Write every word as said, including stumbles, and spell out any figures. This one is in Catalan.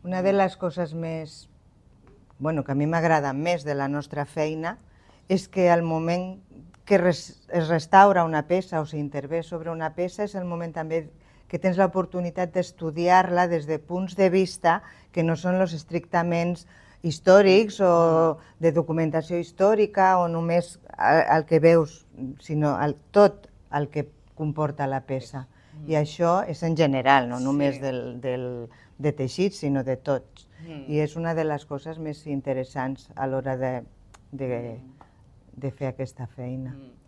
Una de les coses més, bueno, que a mi m'agrada més de la nostra feina és que al moment que res, es restaura una peça o s'intervé sobre una peça és el moment també que tens l'oportunitat d'estudiar-la des de punts de vista que no són els estrictament històrics o de documentació històrica o només el, el que veus, sinó el, tot el que comporta la peça. I això és en general, no només del, del, de teixits, sinó de tots. I és una de les coses més interessants a l'hora de, de, de fer aquesta feina.